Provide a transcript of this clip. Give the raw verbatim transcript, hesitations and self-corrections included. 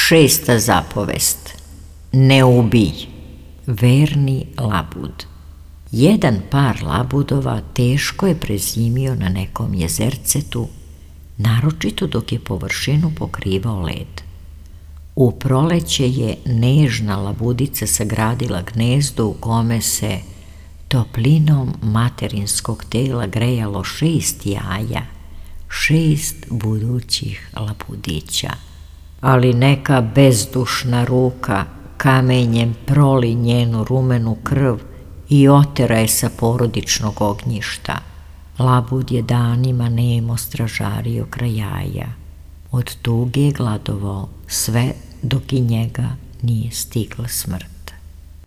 Šesta zapovest. Ne ubij. Verni labud. Jedan par labudova teško je prezimio na nekom jezercetu, naročito dok je površinu pokrivao led. U proleće je nežna labudica sagradila gnezdo u kome se toplinom materinskog tela grejalo šest jaja, šest budućih labudića. Ali neka bezdušna ruka kamenjem proli njenu rumenu krv i otera je sa porodičnog ognjišta. Labud je danima nemo stražario kraj jaja. Od tuge je gladovao sve dok i njega nije stigla smrt.